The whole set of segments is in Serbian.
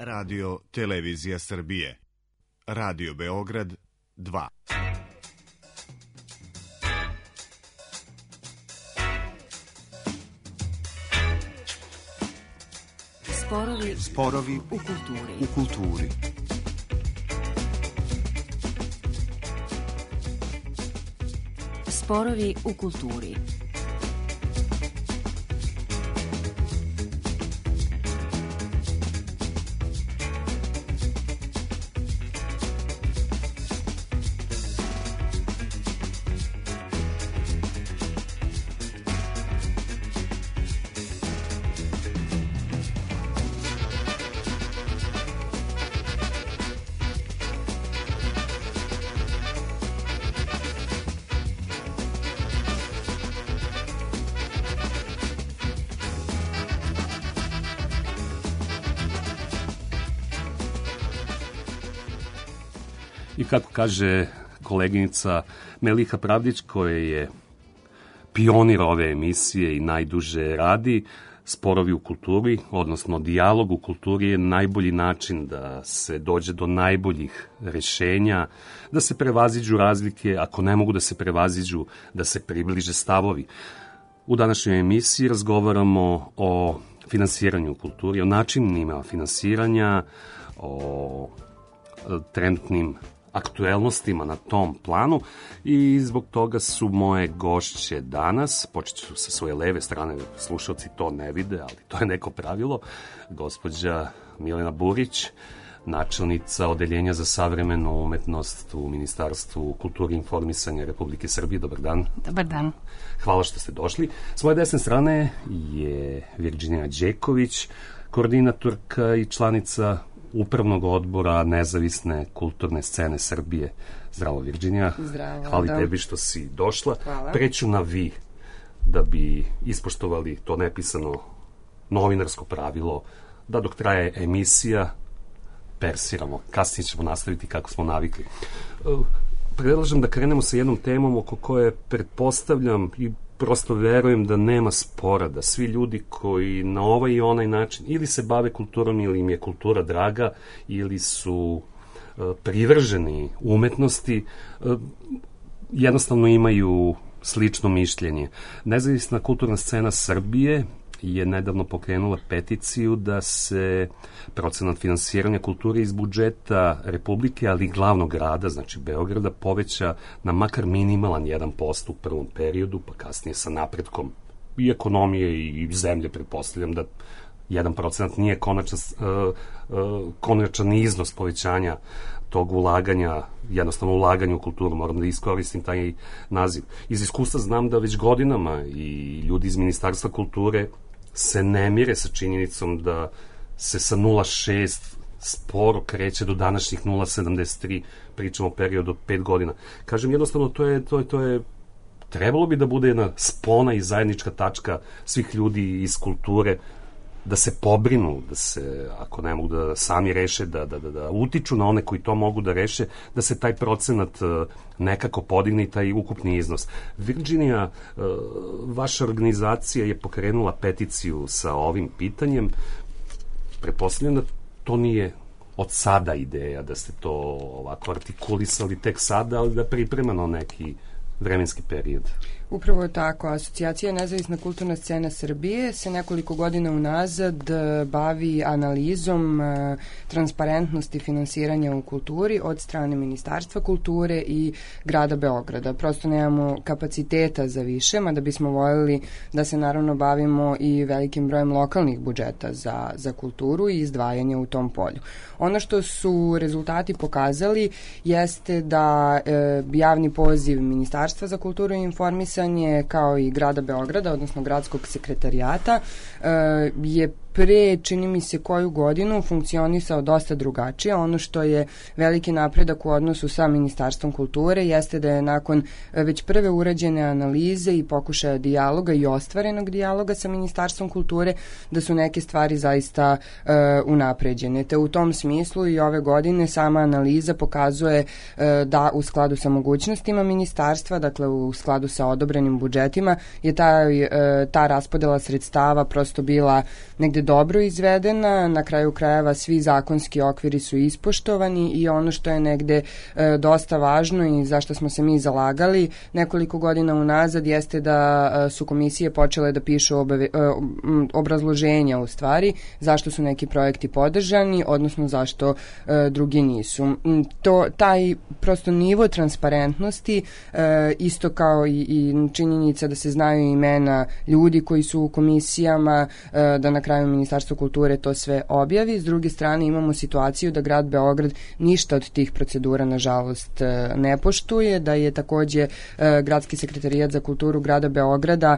Radio Televizija Srbije. Radio Beograd 2. Sporovi u kulturi. Sporovi u kulturi. I kako kaže koleginica Meliha Pravdić, koja je pionir ove emisije i najduže radi, sporovi u kulturi, odnosno dijalog u kulturi je najbolji način da se dođe do najboljih rešenja, da se prevaziđu razlike, ako ne mogu da se prevaziđu, da se približe stavovi. U današnjoj emisiji razgovaramo o finansiranju u kulturi, o načinima finansiranja, o trenutnim aktuelnostima na tom planu i zbog toga su moje gošće danas, počet ću sa svoje leve strane, slušalci to ne vide, ali to je neko pravilo, gospođa Milena Burić, načelnica Odeljenja za savremenu umetnost u Ministarstvu kulture i informisanja Republike Srbije. Dobar dan. Dobar dan. Hvala što ste došli. S moje desne strane je Virginija Đeković, koordinatorka i članica Upravnog odbora Nezavisne kulturne scene Srbije. Zdravo, Virginija. Zdravo. Hvala tebi što si došla. Hvala. Preću na vi, da bi ispoštovali to nepisano novinarsko pravilo, da dok traje emisija persiramo. Kasnije ćemo nastaviti kako smo navikli. Predlažem da krenemo sa jednom temom oko koje pretpostavljam i prosto verujem da nema spora, da svi ljudi koji na ovaj i onaj način ili se bave kulturom ili im je kultura draga ili su privrženi umetnosti, jednostavno imaju slično mišljenje. Nezavisna kulturna scena Srbije je nedavno pokrenula peticiju da se procenat finansiranja kulture iz budžeta Republike, ali i glavnog grada, znači Beograda, poveća na makar minimalan 1% u prvom periodu, pa kasnije sa napretkom i ekonomije i zemlje, pretpostavljam da 1% nije konačan iznos povećanja tog ulaganja, jednostavno ulaganje u kulturu, moram da iskoristim taj naziv. Iz iskustva znam da već godinama i ljudi iz Ministarstva kulture se ne mire sa činjenicom da se sa 0,6 sporo kreće do današnjih 0,73, pričamo o periodu od 5 godina. Kažem, jednostavno, to je trebalo bi da bude jedna spona i zajednička tačka svih ljudi iz kulture, da se pobrinu, da se, ako ne mogu da sami reše, da utiču na one koji to mogu da reše, da se taj procenat nekako podigne i taj ukupni iznos. Virginija, vaša organizacija je pokrenula peticiju sa ovim pitanjem. Pretpostavljam da to nije od sada ideja, da ste to ovako artikulisali tek sada, ali da pripremano neki vremenski period. Upravo je tako. Asocijacija Nezavisna kulturna scena Srbije se nekoliko godina unazad bavi analizom transparentnosti finansiranja u kulturi od strane Ministarstva kulture i grada Beograda. Prosto nemamo kapaciteta za više, mada bismo voljeli da se naravno bavimo i velikim brojem lokalnih budžeta za kulturu i izdvajanja u tom polju. Ono što su rezultati pokazali jeste da javni poziv Ministarstva za kulturu i informisanje kao i grada Beograda, odnosno gradskog sekretarijata, je pre, čini mi se, koju godinu funkcionisao dosta drugačije. Ono što je veliki napredak u odnosu sa Ministarstvom kulture jeste da je nakon već prve urađene analize i pokušaja dijaloga i ostvarenog dijaloga sa Ministarstvom kulture, da su neke stvari zaista unapređene. Te u tom smislu i ove godine sama analiza pokazuje da u skladu sa mogućnostima ministarstva, dakle u skladu sa odobrenim budžetima, je ta raspodela sredstava prosto bila negde dobro izvedena, na kraju krajeva svi zakonski okviri su ispoštovani i ono što je negde dosta važno i zašto smo se mi zalagali nekoliko godina unazad jeste da su komisije počele da pišu obrazloženja u stvari zašto su neki projekti podržani, odnosno zašto drugi nisu. Taj prosto nivo transparentnosti, isto kao i činjenica da se znaju imena ljudi koji su u komisijama, da na kraju Ministarstvo kulture to sve objavi. S druge strane imamo situaciju da grad Beograd ništa od tih procedura nažalost ne poštuje, da je takođe Gradski sekretarijat za kulturu grada Beograda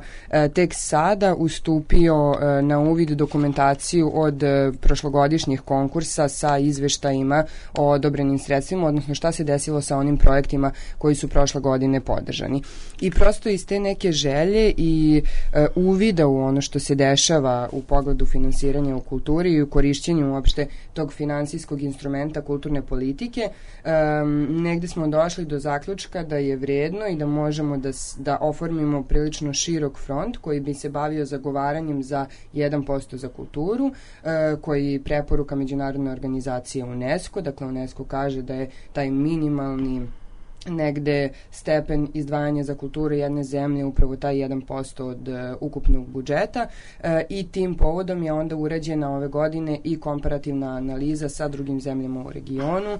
tek sada ustupio na uvid dokumentaciju od prošlogodišnjih konkursa sa izveštajima o odobrenim sredstvima, odnosno šta se desilo sa onim projektima koji su prošle godine podržani. I prosto iz te neke želje i uvida u ono što se dešava u pogledu finansiranja u kulturi i u korišćenju uopšte tog finansijskog instrumenta kulturne politike, negde smo došli do zaključka da je vredno i da možemo da oformimo prilično širok front koji bi se bavio zagovaranjem za 1% za kulturu, koji preporuka međunarodne organizacije UNESCO. Dakle, UNESCO kaže da je taj minimalni negde stepen izdvajanja za kulturu jedne zemlje upravo taj 1% od ukupnog budžeta i tim povodom je onda urađena ove godine i komparativna analiza sa drugim zemljama u regionu,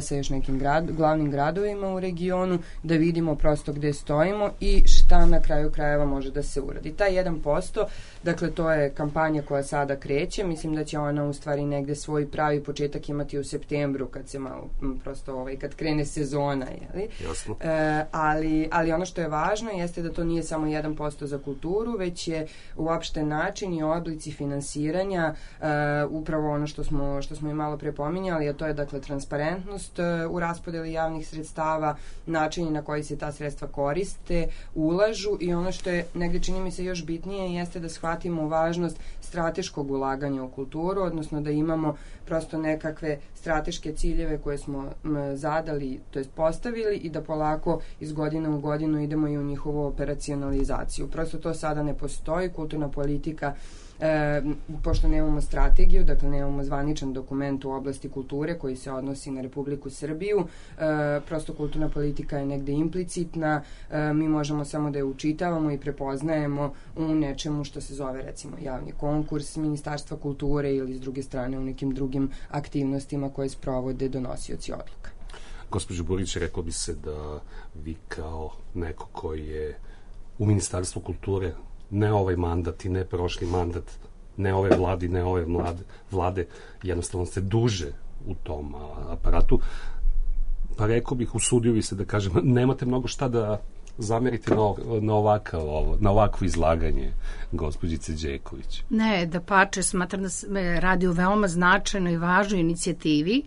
sa još nekim glavnim gradovima u regionu, da vidimo prosto gde stojimo i šta na kraju krajeva može da se uradi. Taj 1%, dakle to je kampanja koja sada kreće, mislim da će ona u stvari negde svoj pravi početak imati u septembru kad se malo prosto kad krene sezona, jeli? Jasno. Ali ono što je važno jeste da to nije samo 1% za kulturu, već je uopšte način i oblici finansiranja upravo ono što smo i malo pre pominjali, a to je dakle transparentnost u raspodeli javnih sredstava, načini na koji se ta sredstva koriste, ulažu i ono što je negde čini mi se još bitnije jeste da shvatimo važnost strateškog ulaganja u kulturu, odnosno da imamo prosto nekakve strateške ciljeve koje smo zadali, to jest postavili i da polako iz godine u godinu idemo i u njihovu operacionalizaciju. Prosto to sada ne postoji, kulturna politika pošto nemamo strategiju, dakle nemamo zvaničan dokument u oblasti kulture koji se odnosi na Republiku Srbiju, prosto kulturna politika je negde implicitna, mi možemo samo da je učitavamo i prepoznajemo u nečemu što se zove recimo javni konkurs Ministarstva kulture ili s druge strane u nekim drugim aktivnostima koje sprovode donosioci odluka. Gospođo Burić, rekao bi se da vi kao neko koji je u Ministarstvu kulture, ne ovaj mandat i ne prošli mandat, ne ove vlade, ne ove vlade, jednostavno ste duže u tom aparatu, pa rekao bih, usudio bi se da kažem, nemate mnogo šta da zamerite na ovakvo izlaganje gospođice Đeković. Ne, da pače, smatram da se radi o veoma značajnoj i važnoj inicijativi.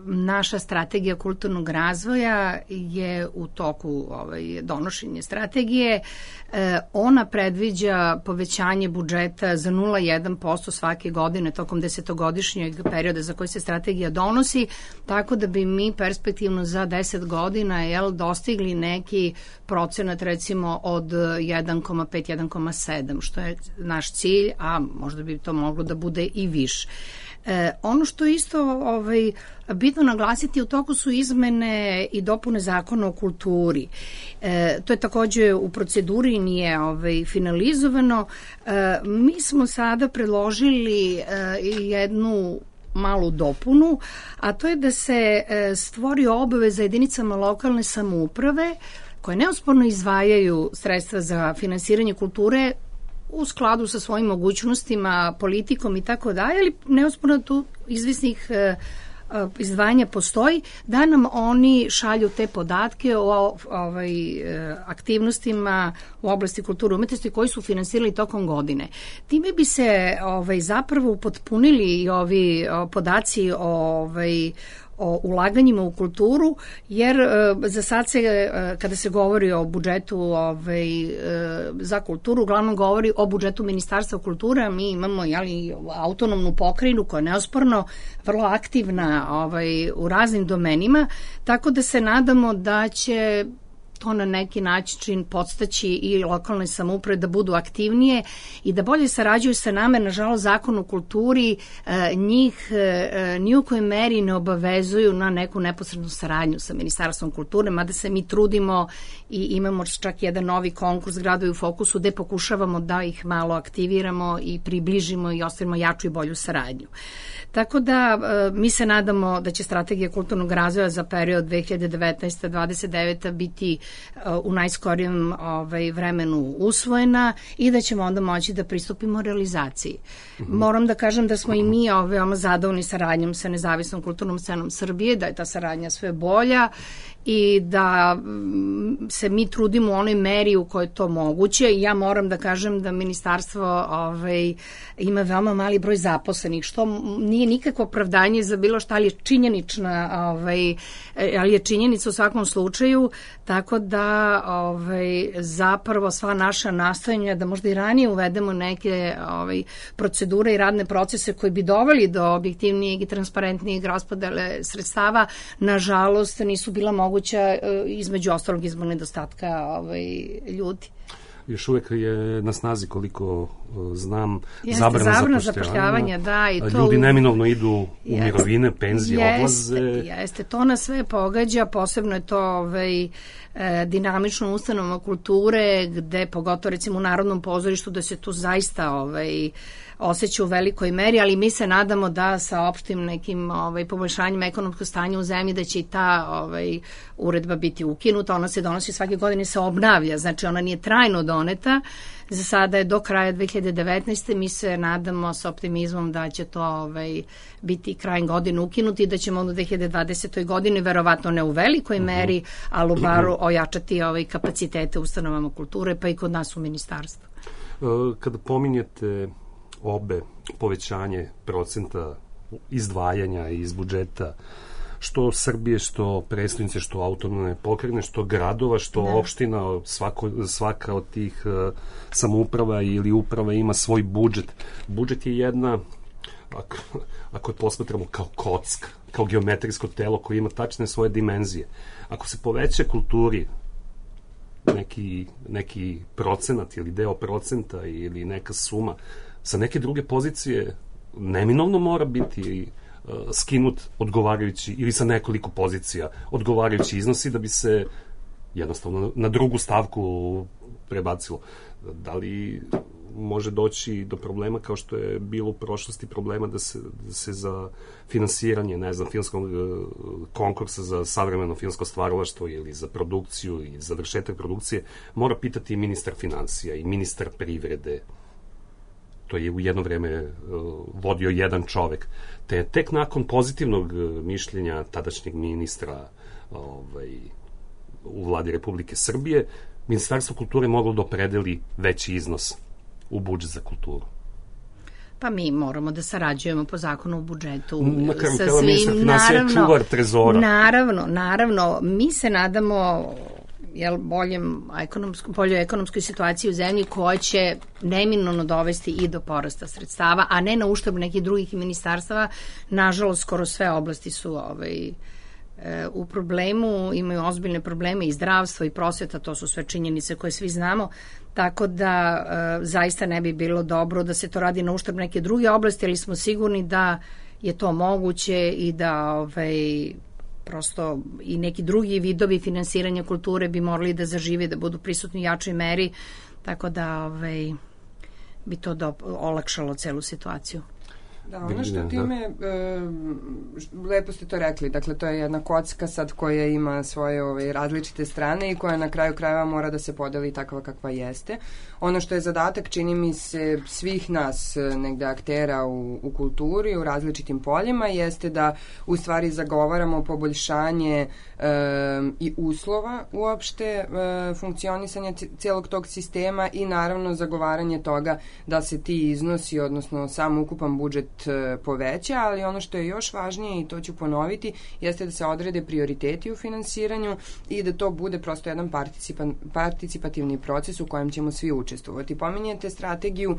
Naša strategija kulturnog razvoja je u toku donošenja strategije. Ona predviđa povećanje budžeta za 0,1% svake godine tokom 10-godišnjeg perioda za koji se strategija donosi, tako da bi mi perspektivno za 10 godina dostigli neki procenat recimo od 1,5-1,7, što je naš cilj, a možda bi to moglo da bude i više. Ono što je isto bitno naglasiti, u toku su izmene i dopune zakona o kulturi. To je takođe u proceduri, nije finalizovano. Mi smo sada predložili jednu malu dopunu, a to je da se stvori obaveza jedinicama lokalne samouprave koje neosporno izdvajaju sredstva za finansiranje kulture u skladu sa svojim mogućnostima, politikom i tako dalje, ali neosporno tu izvisnih izdvajanja postoji, da nam oni šalju te podatke o aktivnostima u oblasti kulture i umetnosti koji su finansirali tokom godine. Time bi se zapravo upotpunili i ovi podaci o ulaganjima u kulturu, jer za sad se, kada se govori o budžetu za kulturu, uglavnom govori o budžetu Ministarstva kulture, a mi imamo autonomnu pokrajinu koja je neosporno vrlo aktivna u raznim domenima, tako da se nadamo da će to na neki način podstaći i lokalne samouprave da budu aktivnije i da bolje sarađuju sa nama. Nažalost, Zakon o kulturi njih ni u kojoj meri ne obavezuju na neku neposrednu saradnju sa Ministarstvom kulture, mada se mi trudimo i imamo čak jedan novi konkurs Gradovi u fokusu gde pokušavamo da ih malo aktiviramo i približimo i ostavimo jaču i bolju saradnju. Tako da mi se nadamo da će strategija kulturnog razvoja za period 2019-2029 biti u najskorijem vremenu usvojena i da ćemo onda moći da pristupimo realizaciji. Moram da kažem da smo i mi veoma zadovoljni saradnjom sa nezavisnom kulturnom scenom Srbije, da je ta saradnja sve bolja i da se mi trudimo u onoj meri u kojoj je to moguće. Ja moram da kažem da ministarstvo ima veoma mali broj zaposlenih, što nije nikakvo opravdanje za bilo šta, ali je činjenična, ali je činjenica u svakom slučaju, tako da zapravo sva naša nastojanja da možda i ranije uvedemo neke procedure i radne procese koji bi doveli do objektivnijeg i transparentnijeg raspodele sredstava, nažalost nisu bila moguća između ostalog izbog nedostatka ljudi. Još uvek je na snazi, koliko znam, zabrana zapošljavanja, da, i to ljudi neminovno idu u mirovine, penzije, odlaze. Jeste, to nas sve pogađa, posebno je to dinamično ustanovama kulture, gde pogotovo recimo u Narodnom pozorištu da se tu zaista osjeća u velikoj meri, ali mi se nadamo da sa opštim nekim poboljšanjima ekonomskog stanja u zemlji da će i ta uredba biti ukinuta. Ona se donosi svake godine, se obnavlja, znači ona nije trajno doneta. Za sada je do kraja 2019. Mi se nadamo sa optimizmom da će to biti krajem godine ukinuti i da ćemo u 2020. godini, verovatno ne u velikoj meri, ali u baru ojačati kapacitete ustanovama kulture, pa i kod nas u ministarstvu. Kada pominjete obe povećanje procenta izdvajanja iz budžeta, što Srbije, što prestonice, što autonomne pokrajine, što gradova, što opština, svaka od tih samouprava ili uprava ima svoj budžet. Budžet je jedna, ako je posmatramo kao kocka, kao geometrijsko telo koje ima tačne svoje dimenzije. Ako se poveća kulturi neki procenat ili deo procenta ili neka suma, sa neke druge pozicije neminovno mora biti skinut odgovarajući ili sa nekoliko pozicija odgovarajući iznosi da bi se jednostavno na drugu stavku prebacilo. Da li može doći do problema kao što je bilo u prošlosti problema da se za finansiranje, ne znam, filmskog konkursa za savremeno filmsko stvaralaštvo ili za produkciju i završetak produkcije mora pitati i ministar financija i ministar privrede. To je u jedno vreme vodio jedan čovek. Te tek nakon pozitivnog mišljenja tadašnjeg ministra u vladi Republike Srbije, Ministarstvo kulture moglo da opredeli veći iznos u budžet za kulturu. Pa mi moramo da sarađujemo po zakonu o budžetu sa svim. Naravno, čuvar trezora. Naravno, mi se nadamo boljoj ekonomskoj situaciji u zemlji koja će neminovno dovesti i do porasta sredstava, a ne na uštrb nekih drugih ministarstava. Nažalost, skoro sve oblasti su u problemu, imaju ozbiljne probleme i zdravstvo i prosveta, to su sve činjenice koje svi znamo, tako da zaista ne bi bilo dobro da se to radi na uštrb neke druge oblasti, ali smo sigurni da je to moguće i da prosto i neki drugi vidovi finansiranja kulture bi morali da zažive, da budu prisutni u jačoj meri, tako da bi to olakšalo celu situaciju. Da, ono što time, lepo ste to rekli, dakle to je jedna kocka sad koja ima svoje različite strane i koja na kraju krajeva mora da se podeli takva kakva jeste. Ono što je zadatak, čini mi se, svih nas negde aktera u kulturi, u različitim poljima, jeste da u stvari zagovaramo poboljšanje i uslova uopšte funkcionisanja cijelog tog sistema i naravno zagovaranje toga da se ti iznosi, odnosno sam ukupan budžet poveća, ali ono što je još važnije, i to ću ponoviti, jeste da se odrede prioriteti u finansiranju i da to bude prosto jedan participativni proces u kojem ćemo svi učestvovati. Pominjete strategiju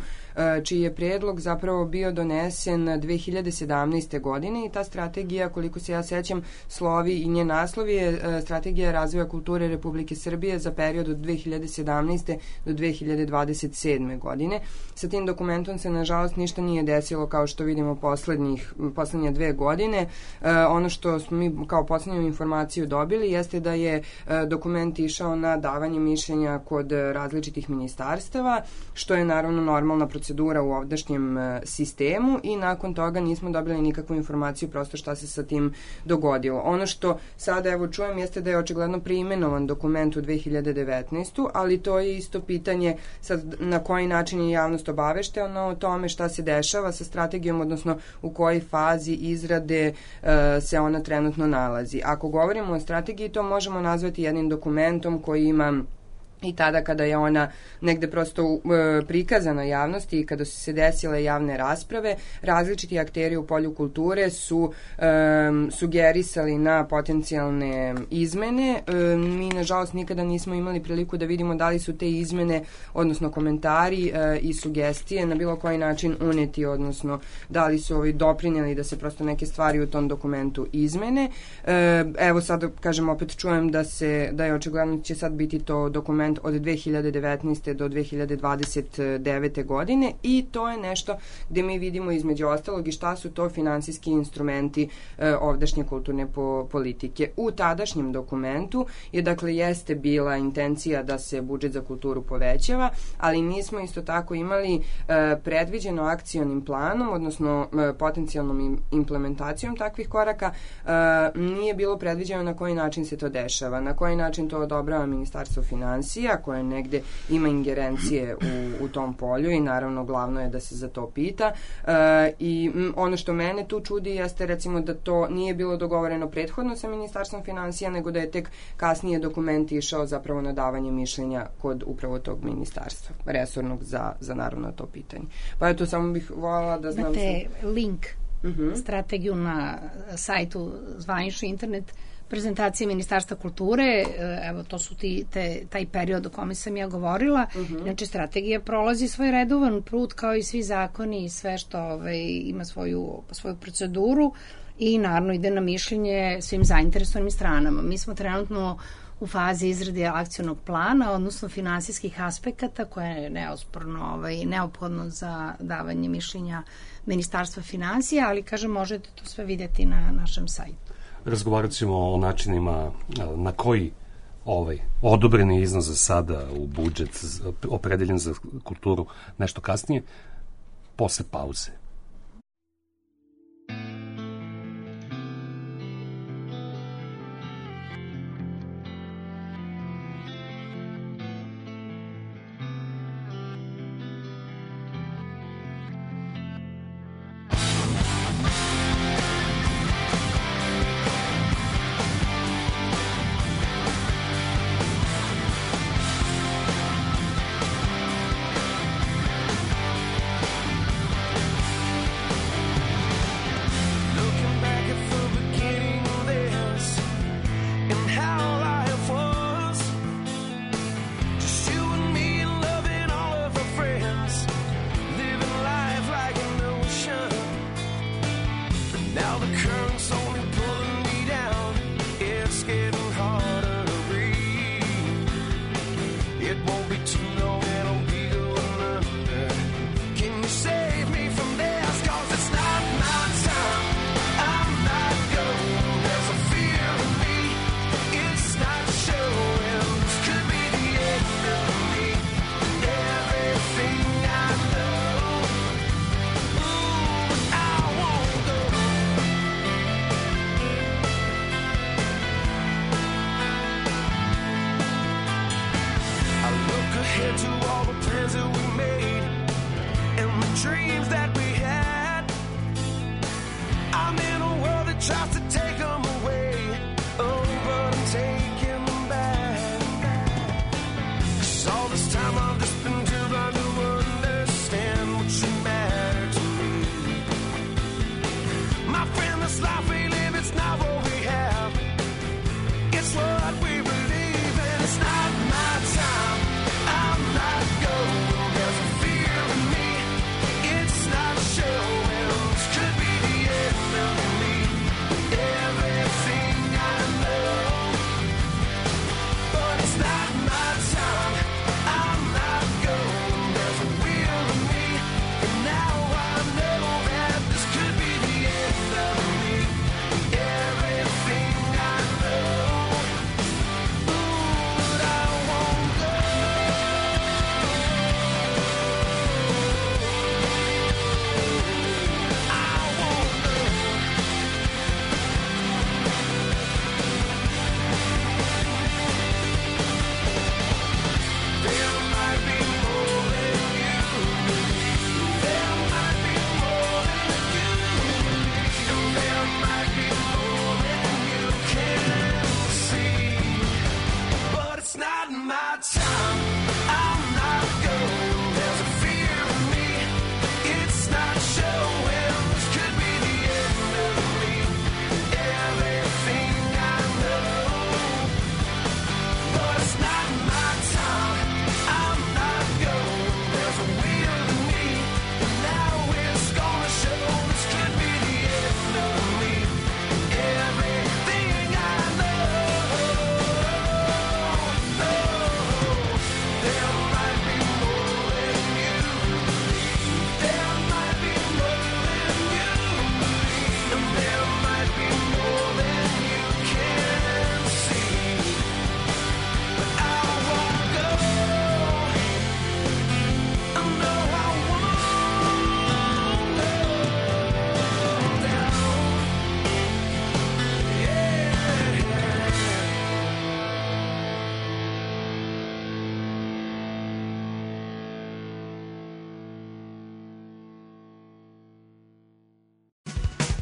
čiji je predlog zapravo bio donesen 2017. godine i ta strategija, koliko se ja sećam, slovi i njen naslov je Strategija razvoja kulture Republike Srbije za period od 2017. do 2027. godine. Sa tim dokumentom se nažalost ništa nije desilo kao što vidimo poslednje 2 godine. Ono što smo mi kao poslednju informaciju dobili jeste da je dokument išao na davanje mišljenja kod različitih ministarstava, što je naravno normalna procedura u ovdašnjem sistemu i nakon toga nismo dobili nikakvu informaciju prosto šta se sa tim dogodilo. Ono što sada evo čujem jeste da je očigledno preimenovan dokument u 2019. ali to je isto pitanje sad na koji način je javnost obaveštena o tome šta se dešava sa strategijom, odnosno u kojoj fazi izrade se ona trenutno nalazi. Ako govorimo o strategiji, to možemo nazvati jednim dokumentom koji ima i tada kada je ona negde prosto prikazana javnosti i kada su se desile javne rasprave, različiti akteri u polju kulture su sugerisali na potencijalne izmene. Mi, nažalost, nikada nismo imali priliku da vidimo da li su te izmene, odnosno komentari i sugestije na bilo koji način uneti, odnosno da li su doprinjeli da se prosto neke stvari u tom dokumentu izmene. Evo sad, kažem, opet čujem da je očigledno će sad biti to dokument od 2019. do 2029. godine i to je nešto gde mi vidimo između ostalog i šta su to finansijski instrumenti ovdašnje kulturne politike. U tadašnjem dokumentu jeste bila intencija da se budžet za kulturu povećava, ali nismo isto tako imali predviđeno akcionim planom, odnosno potencijalnom implementacijom takvih koraka, nije bilo predviđeno na koji način se to dešava, na koji način to odobrava Ministarstvo finansija, koje negde ima ingerencije u tom polju i naravno glavno je da se za to pita. I ono što mene tu čudi jeste recimo da to nije bilo dogovoreno prethodno sa Ministarstvom finansija, nego da je tek kasnije dokument išao zapravo na davanje mišljenja kod upravo tog ministarstva resornog za naravno to pitanje. Pa eto, samo bih voljela da znam... Imate link, strategiju na sajtu zvanični internet prezentacije Ministarstva kulture, evo to su taj period o kome sam ja govorila. Znači, strategija prolazi svoj redovan put kao i svi zakoni i sve što ima svoju proceduru i naravno ide na mišljenje svim zainteresovanim stranama. Mi smo trenutno u fazi izrade akcionog plana, odnosno finansijskih aspekata koje je neophodno za davanje mišljenja Ministarstva finansija, ali kažem, možete to sve vidjeti na našem sajtu. Razgovarat ćemo o načinima na koji odobreni iznos za sada u budžet opredeljen za kulturu nešto kasnije, posle pauze.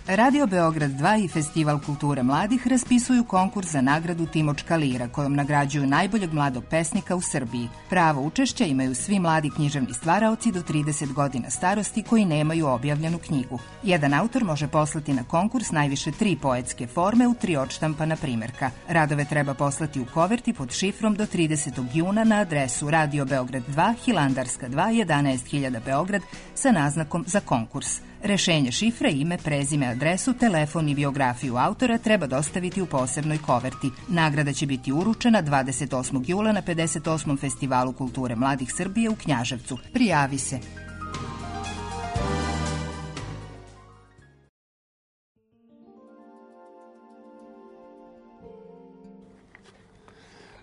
Radio Beograd 2 i Festival kulture mladih raspisuju konkurs za nagradu Timočka lira, kojom nagrađuju najboljeg mladog pesnika u Srbiji. Pravo učešća imaju svi mladi književni stvaraoci do 30 godina starosti koji nemaju objavljenu knjigu. Jedan autor može poslati na konkurs najviše 3 poetske forme u 3 odštampana primerka. Radove treba poslati u koverti pod šifrom do 30. juna na adresu Radio Beograd 2, Hilandarska 2, 11.000 Beograd sa naznakom za konkurs. Rešenje šifre, ime, prezime, adresu, telefon i biografiju autora treba dostaviti u posebnoj koverti. Nagrada će biti uručena 28. jula na 58. Festivalu kulture mladih Srbije u Knjaževcu. Prijavi se.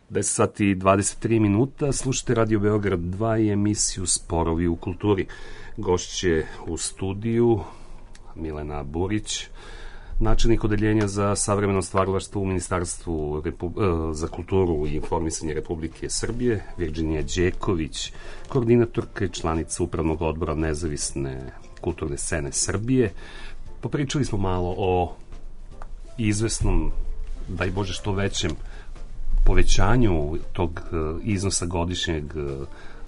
Deset i 23 minuta, slušate Radio Beograd 2 i emisiju Sporovi u kulturi. Gošće u studiju Milena Burić, načelnik odeljenja za savremeno stvaralaštvo u Ministarstvu za kulturu i informisanje Republike Srbije, Virginija Đeković, koordinatorka i članica Upravnog odbora Nezavisne kulturne scene Srbije. Popričali smo malo o izvesnom, daj Bože što većem, povećanju tog iznosa godišnjeg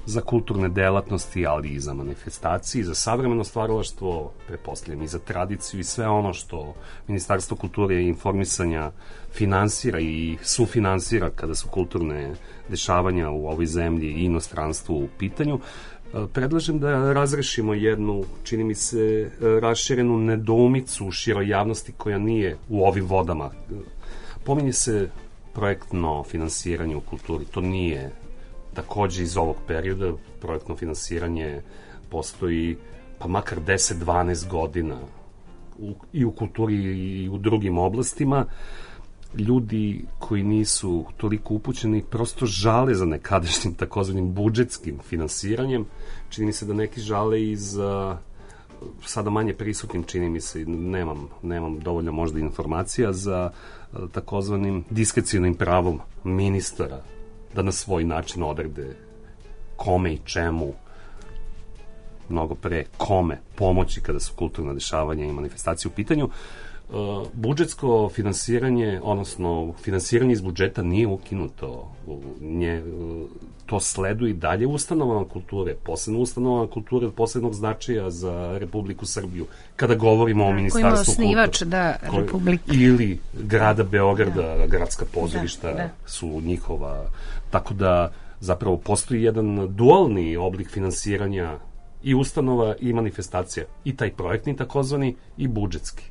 za kulturne delatnosti, ali i za manifestacije, za savremeno stvaralaštvo, pretpostavljam i za tradiciju i sve ono što Ministarstvo kulture i informisanja finansira i sufinansira kada su kulturne dešavanja u ovoj zemlji i inostranstvu u pitanju. Predlažem da razrešimo jednu, čini mi se, raširenu nedoumicu u široj javnosti koja nije u ovim vodama. Pominje se projektno finansiranje u kulturi, to nije takođe iz ovog perioda. Projektno finansiranje postoji pa makar 10-12 godina i u kulturi i u drugim oblastima. Ljudi koji nisu toliko upućeni prosto žale za nekadašnjim takozvanim budžetskim finansiranjem. Čini mi se da neki žale i za sada manje prisutnim, čini mi se, nemam dovoljno možda informacija, za takozvanim diskrecijonim pravom ministara da na svoj način odrede kome i čemu, mnogo pre kome pomoći kada su kulturna dešavanja i manifestacije u pitanju. Budžetsko finansiranje, odnosno finansiranje iz budžeta nije ukinuto. To sleduje i dalje ustanovama kulture, posebno ustanovama kulture od posebnog značaja za Republiku Srbiju. Kada govorimo o Ministarstvu kulture Republike ili grada Beograda, gradska pozorišta su njihova. Tako da zapravo postoji jedan dualni oblik finansiranja i ustanova i manifestacija. I taj projektni takozvani i budžetski.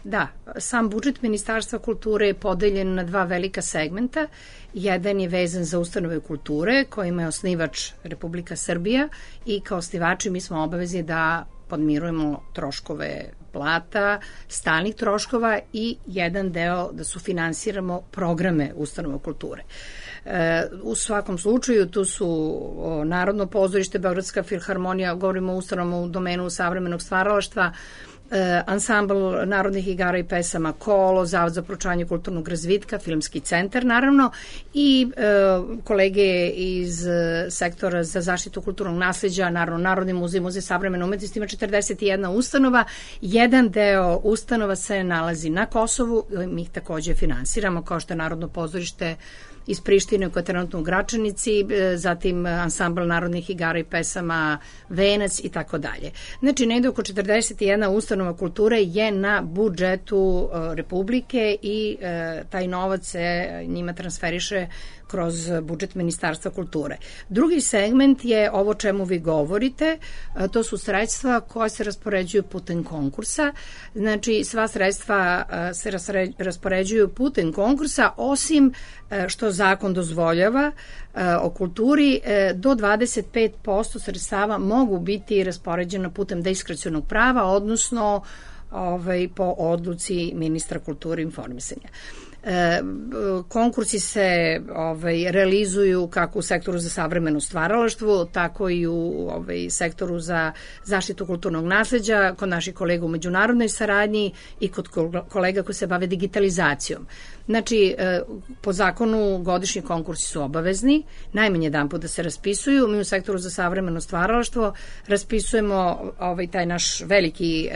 Da, sam budžet Ministarstva kulture je podeljen na 2 velika segmenta. Jedan je vezan za ustanove kulture, kojima je osnivač Republika Srbija i kao osnivači mi smo obavezni da podmirujemo troškove plata, stalnih troškova i jedan deo da sufinansiramo programe ustanova kulture. U svakom slučaju tu su Narodno pozorište, Beogradska filharmonija, govorimo o ustanovama u domenu savremenog stvaralaštva, ansambl narodnih igara i pesama Kolo, Zavod za proučavanje kulturnog razvitka, Filmski centar naravno i kolege iz sektora za zaštitu kulturnog nasleđa, naravno Narodni muzej, Muzej savremene umetnosti, ima 41 ustanova. Jedan deo ustanova se nalazi na Kosovu, mi ih takođe finansiramo, kao što je Narodno pozorište iz Prištine koja je trenutno u Gračanici, zatim ansambl narodnih igara i pesama Venac i tako dalje. Znači, negde oko 41 ustanova kulture je na budžetu Republike i taj novac se njima transferiše kroz budžet Ministarstva kulture. Drugi segment je ovo čemu vi govorite, to su sredstva koja se raspoređuju putem konkursa. Znači, sva sredstva se raspoređuju putem konkursa, osim što zakon dozvoljava o kulturi, do 25% sredstava mogu biti raspoređena putem diskrecionog prava, odnosno po odluci ministra kulture i informisanja. Konkursi se realizuju kako u sektoru za savremeno stvaralaštvo, tako i u sektoru za zaštitu kulturnog nasleđa, kod naših kolega u međunarodnoj saradnji i kod kolega koji se bave digitalizacijom. Znači, po zakonu godišnji konkursi su obavezni, najmanje jedan put da se raspisuju. Mi u sektoru za savremeno stvaralaštvo raspisujemo taj naš veliki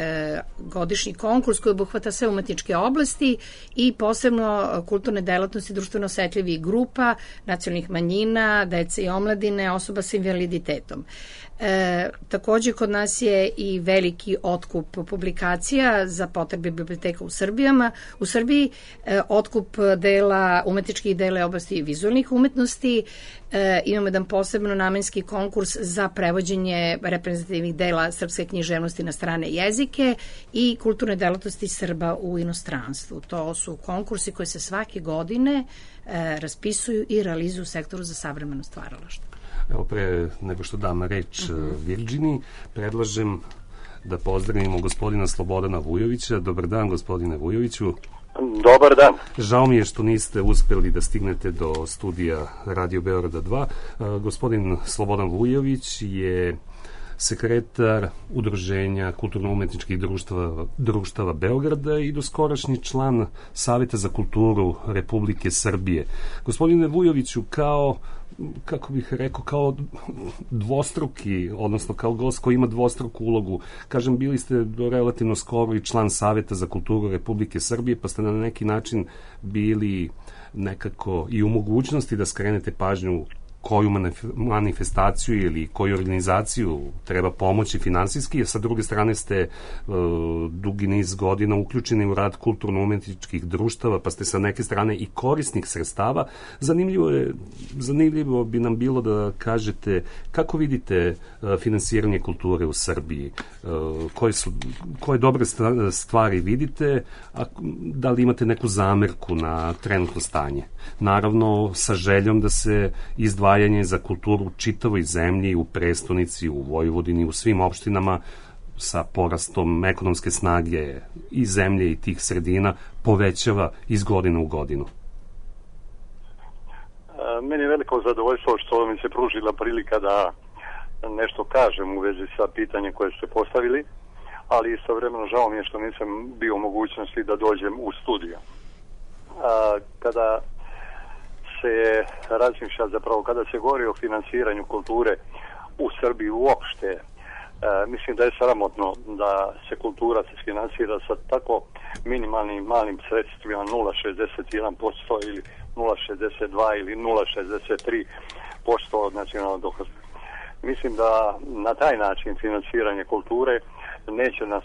godišnji konkurs koji obuhvata sve umetničke oblasti i posebno kulturne delatnosti društveno osetljivih grupa, nacionalnih manjina, dece i omladine, osoba sa invaliditetom. Takođe, kod nas je i veliki otkup publikacija za potrebe biblioteka u Srbiji, otkup dela, umetničkih dela oblasti vizualnih umetnosti. Imamo jedan posebno namenski konkurs za prevođenje reprezentativnih dela srpske književnosti na strane jezike i kulturne delatnosti Srba u inostranstvu. To su konkursi koji se svake godine raspisuju i realizuju u sektoru za savremeno stvaralaštvo. Evo, pre nego što dam reč Virđini, predlažem da pozdravimo gospodina Slobodana Vujovića. Dobar dan, gospodine Vujoviću. Dobar dan. Žao mi je što niste uspeli da stignete do studija Radio Beograda 2. Gospodin Slobodan Vujović je sekretar Udruženja kulturno-umetničkih društava Beograda i doskorašnji član Saveta za kulturu Republike Srbije. Gospodine Vujoviću, kao dvostruki, odnosno kao gost koji ima dvostruku ulogu. Kažem, bili ste do relativno skoro i član Saveta za kulturu Republike Srbije, pa ste na neki način bili nekako i u mogućnosti da skrenete pažnju koju manifestaciju ili koju organizaciju treba pomoći finansijski, a sa druge strane ste dugi niz godina uključeni u rad kulturno-umetničkih društava, pa ste sa neke strane i korisnih sredstava. Zanimljivo bi nam bilo da kažete kako vidite finansiranje kulture u Srbiji, koje dobre stvari vidite, a da li imate neku zamerku na trenutno stanje. Naravno, sa željom da se izdvajanje za kulturu u čitavoj zemlji, u prestonici, u Vojvodini, u svim opštinama sa porastom ekonomske snage i zemlje i tih sredina povećava iz godine u godinu. Meni je veliko zadovoljstvo što mi se pružila prilika da nešto kažem u vezi sa pitanjem koje ste postavili, ali istovremeno žao mi je što nisam bio u mogućnosti da dođem u studio. Kada se razmišlja, zapravo kada se govori o finansiranju kulture u Srbiji uopšte, mislim da je sramotno da se kultura se finansira sa tako minimalnim malim sredstvima 0,61% ili 0,62 ili 0,63% od nacionalnog dohotka. Mislim da na taj način finansiranje kulture neće nas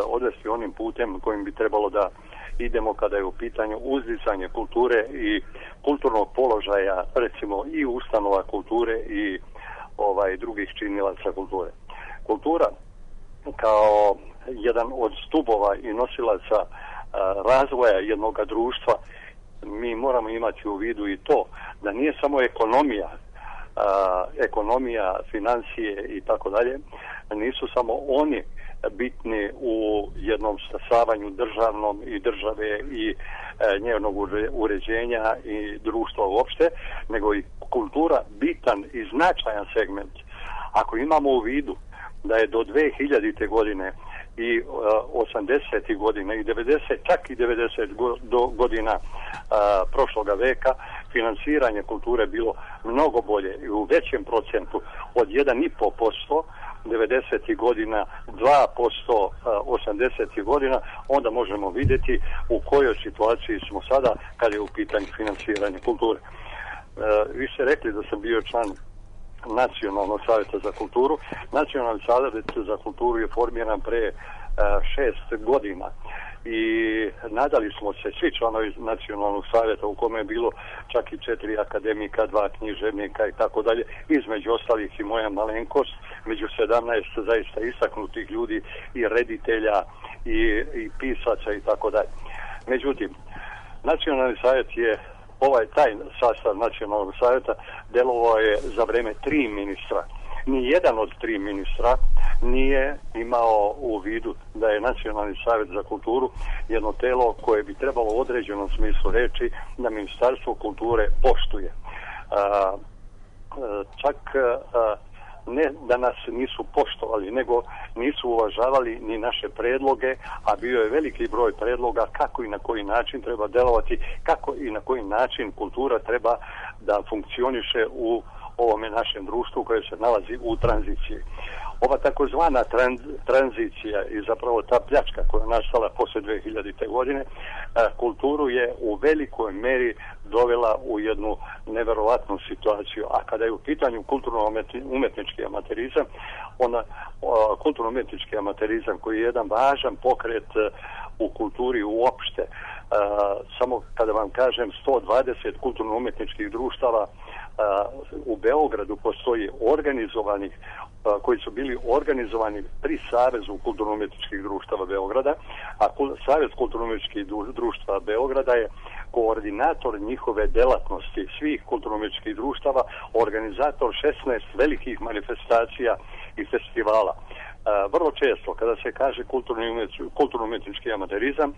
odvesti onim putem kojim bi trebalo da idemo kada je u pitanju uzdizanje kulture i kulturnog položaja, recimo i ustanova kulture i drugih činilaca kulture. Kultura kao jedan od stubova i nosilaca razvoja jednog društva, mi moramo imati u vidu i to da nije samo ekonomija, financije i tako dalje, nisu samo oni bitni u jednom stasavanju državnom i države i njenog uređenja i društva uopšte, nego i kultura bitan i značajan segment. Ako imamo u vidu da je do 2000. godine i 80. godina i 90, čak i 90 godina prošloga veka finansiranje kulture bilo mnogo bolje i u većem procentu od 1,5%, 90. godina 2%, 80. godina, onda možemo vidjeti u kojoj situaciji smo sada kad je u pitanju finansiranje kulture. Vi ste rekli da sam bio član Nacionalnog savjeta za kulturu. Nacionalni savjet za kulturu je formiran pre 6 godina i nadali smo se svi članovi Nacionalnog savjeta, u kome je bilo čak i 4 akademika, 2 književnika i tako dalje, između ostalih i moja malenkost, među 17 zaista istaknutih ljudi i reditelja i pisaca i tako dalje. Međutim, Nacionalni savjet je taj sastav Nacionalnog savjeta delovao je za vreme 3 ministra. Ni jedan od 3 ministra nije imao u vidu da je Nacionalni savjet za kulturu jedno telo koje bi trebalo u određenom smislu reći da Ministarstvo kulture poštuje. Čak ne da nas nisu poštovali, nego nisu uvažavali ni naše predloge, a bio je veliki broj predloga kako i na koji način treba delovati, kako i na koji način kultura treba da funkcioniše u ovome našem društvu koje se nalazi u tranziciji. Ova takozvana tranzicija i zapravo ta pljačka koja je nastala posle 2000. godine, kulturu je u velikoj meri dovela u jednu neverovatnu situaciju. A kada je u pitanju kulturno-umetnički amaterizam, kulturno-umetnički amaterizam koji je jedan važan pokret u kulturi uopšte, samo kada vam kažem 120 kulturno-umetničkih društava u Beogradu postoji organizovanih, koji su bili organizovani pri Savezu kulturno-umetničkih društava Beograda, a Savez kulturno-umetničkih društava Beograda je koordinator njihove delatnosti svih kulturno-umetničkih društava, organizator 16 velikih manifestacija i festivala. Vrlo često kada se kaže kulturno-umetnički amaterizam,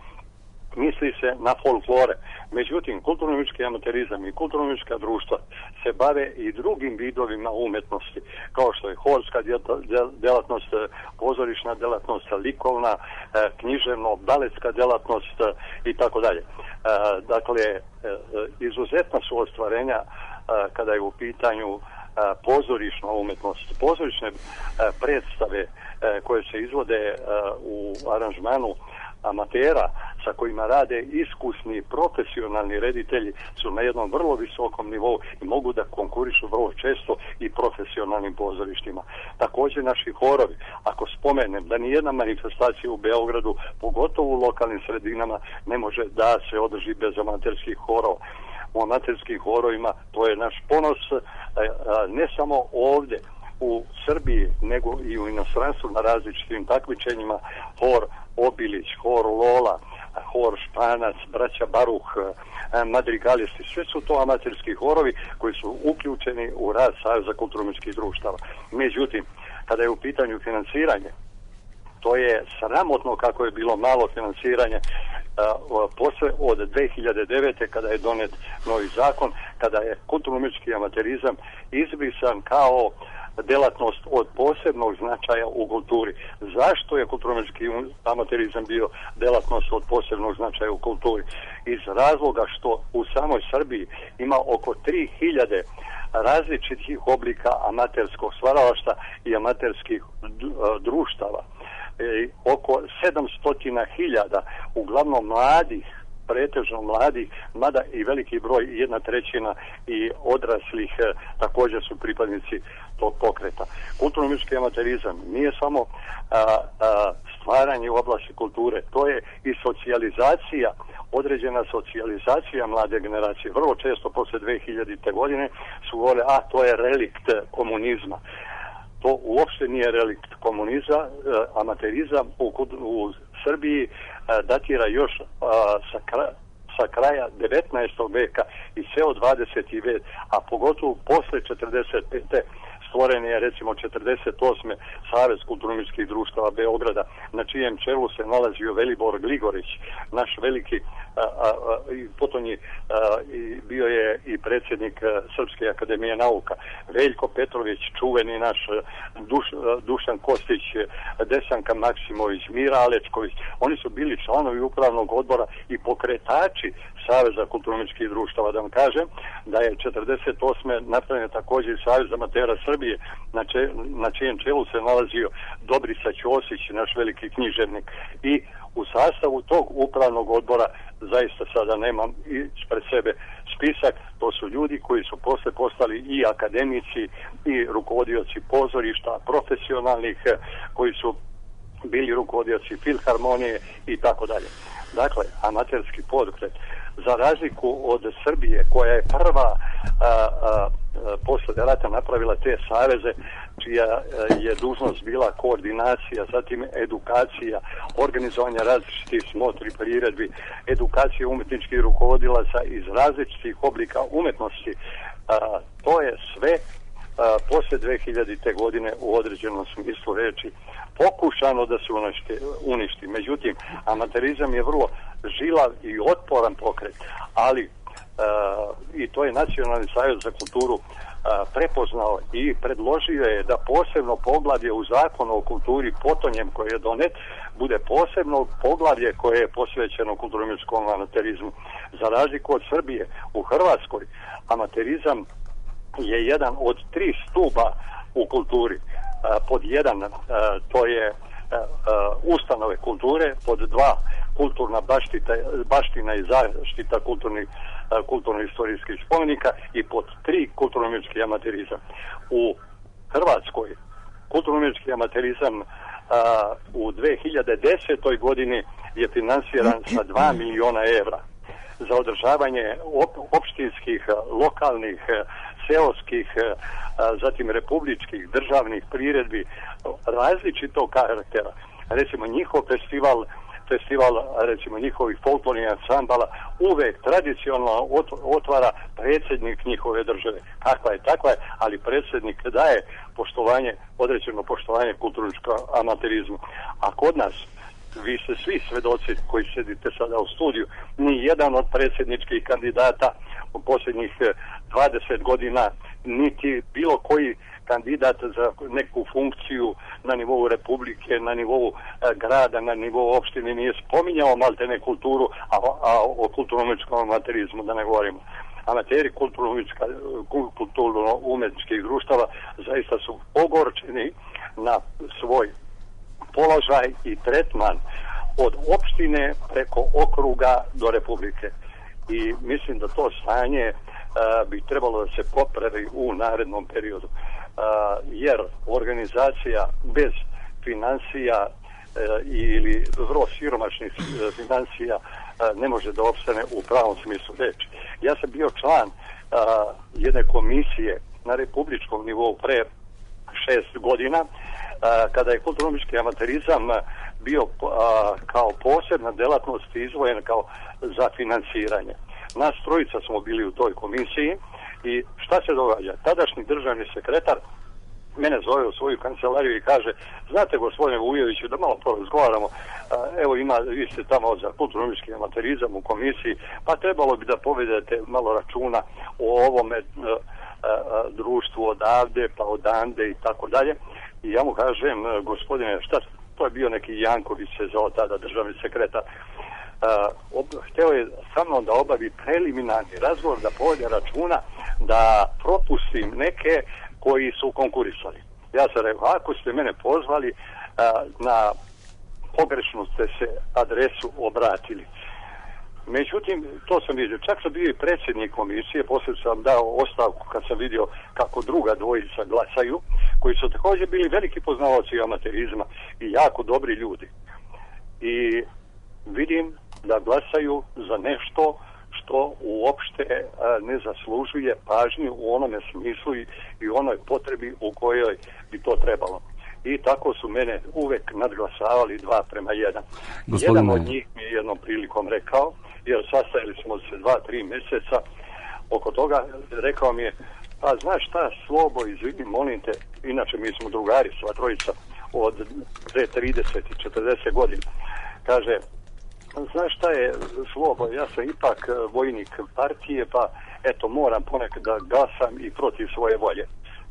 misli se na folklore. Međutim, kulturno-umetnički amaterizam i kulturno-umetnička društva se bave i drugim vidovima umetnosti, kao što je horska delatnost, pozorišna delatnost, likovna, književno, baletska delatnost i tako dalje. Dakle, izuzetna su ostvarenja kada je u pitanju pozorišna umetnost. Pozorišne predstave koje se izvode u aranžmanu amatera sa kojima rade iskusni profesionalni reditelji su na jednom vrlo visokom nivou i mogu da konkurišu vrlo često i profesionalnim pozorištima. Također naši horovi, ako spomenem da nijedna manifestacija u Beogradu, pogotovo u lokalnim sredinama, ne može da se održi bez amaterskih horova. U amaterskim horovima to je naš ponos, ne samo ovdje u Srbiji, nego i u inostranstvu na različitim takmičenjima. Hor Obilić, hor Lola, hor Španac, braća Baruh, madrigalisti, sve su to amaterski horovi koji su uključeni u rad Saveza kulturno-umetničkih društava. Međutim, kada je u pitanju finansiranje, to je sramotno kako je bilo malo finansiranje posle od 2009. kada je donet novi zakon, kada je kulturno-umetnički amaterizam izbrisan kao delatnost od posebnog značaja u kulturi. Zašto je kulturno-umetnički amaterizam bio delatnost od posebnog značaja u kulturi? Iz razloga što u samoj Srbiji ima oko 3000 različitih oblika amaterskog stvaralaštva i amaterskih društava. Oko 700.000 uglavnom mladih, pretežno mladih, mada i veliki broj, 1/3 i odraslih također su pripadnici tog pokreta. Kulturno-umetnički amaterizam nije samo stvaranje u oblasti kulture, to je i socijalizacija, određena socijalizacija mlade generacije. Vrlo često posle 2000. godine su govorili, to je relikt komunizma. To uopšte nije relikt komunizma. Amaterizam u Srbiji datira još sa kraja 19. veka i ceo 20. vek, a pogotovo posle 45. stvoren je recimo 48. Savez kulturno-umetničkih društava Beograda, na čijem čelu se nalazio Velibor Gligorić, naš veliki, potom je bio je i predsjednik Srpske akademije nauka, Veljko Petrović, čuveni naš Dušan Kostić, Desanka Maksimović, Mira Alečković. Oni su bili članovi upravnog odbora i pokretači Saveza kulturno-umetničkih društava. Da vam kažem da je 48. napravljen također Savez amatera Srbije, na čijem čelu se nalazio Dobrica Ćosić, naš veliki književnik. I u sastavu tog upravnog odbora, zaista sada nemam ispred sebe spisak, to su ljudi koji su posle postali i akademici i rukovodioci pozorišta, profesionalnih, koji su bili rukovodioci filharmonije i tako dalje. Dakle, amaterski pokret, za razliku od Srbije, koja je prva posle rata napravila te saveze, čija je dužnost bila koordinacija, zatim edukacija, organizovanje različitih smotri, priredbi, edukacija umetničkih rukovodilaca iz različitih oblika umetnosti. To je sve posle 2000. godine u određenom smislu reči pokušano da se uništi. Međutim, amaterizam je vrlo žilav i otporan pokret, ali i to je Nacionalni savjet za kulturu prepoznao i predložio je da posebno poglavlje u Zakonu o kulturi potonjem koji je donet bude posebno poglavlje koje je posvećeno kulturno-umjetničkom amaterizmu. Za razliku od Srbije, u Hrvatskoj amaterizam je jedan od 3 stuba u kulturi. Pod 1 to je ustanove kulture, pod 2 kulturna baština i zaštita kulturno-istorijskih spomenika i pod 3 kulturno-umjetnički amaterizam. U Hrvatskoj kulturno-umjetnički amaterizam u 2010. godini je finansiran sa 2 miliona evra za održavanje opštinskih, lokalnih, seoskih, zatim republičkih, državnih priredbi različitog karaktera. Recimo njihov festival recimo njihovih folklornih ansambala uvek tradicionalno otvara predsjednik njihove države. Kakva je, takva je, ali predsjednik daje određeno poštovanje kulturničkom amaterizmu. A kod nas, vi ste svi svedoci koji sedite sada u studiju, ni jedan od predsjedničkih kandidata u posljednjih 20 godina, niti bilo koji kandidat za neku funkciju na nivou republike, na nivou grada, na nivou opštine nije spominjao maltene kulturu, a o kulturno-umjetničkom amaterizmu da ne govorimo. Amateri kulturno-umjetničkih društava zaista su ogorčeni na svoj položaj i tretman od opštine preko okruga do republike. I mislim da to stanje bi trebalo da se popravi u narednom periodu. Jer organizacija bez financija ili vrlo siromašnih financija ne može da opstane u pravom smislu reči. Ja sam bio član jedne komisije na republičkom nivou pre 6 godina, kada je kulturno-umjetnički amaterizam bio kao posebna delatnost izdvojen kao za finansiranje. Nas trojica smo bili u toj komisiji i šta se događa? Tadašnji državni sekretar mene zove u svoju kancelariju i kaže: znate, gospodine Vujoviću, da malo porazgovaramo, evo vi ste tamo za kulturno-umjetnički amaterizam u komisiji, pa trebalo bi da povedete malo računa o ovome društvu odavde pa odande i tako dalje. I ja mu kažem: gospodine, šta, to je bio neki Janković se zvao tada državni sekretar, hteo je sa mnom da obavi preliminarni razgovor, da povede računa da propustim neke koji su konkurisali. Ja sam rekao: ako ste mene pozvali, na pogrešnu ste se adresu obratili. Međutim, to sam vidio. Čak sam bio i predsjednik komisije, poslije sam dao ostavku kad sam vidio kako druga dvojica glasaju, koji su također bili veliki poznavaoci amaterizma i jako dobri ljudi. I vidim da glasaju za nešto što uopšte ne zaslužuje pažnju u onome smislu i onoj potrebi u kojoj bi to trebalo. I tako su mene uvek nadglasavali 2:1. Jedan od njih mi je jednom prilikom rekao, jer sastajali smo se 2-3 mjeseca oko toga, rekao mi je: pa znaš šta, Slobo, izvini, molim te, inače mi smo drugari, sva trojica od 30 i 40 godina. Kaže: znaš šta je, Slobo, ja sam ipak vojnik partije, pa eto, moram ponekad da glasam i protiv svoje volje.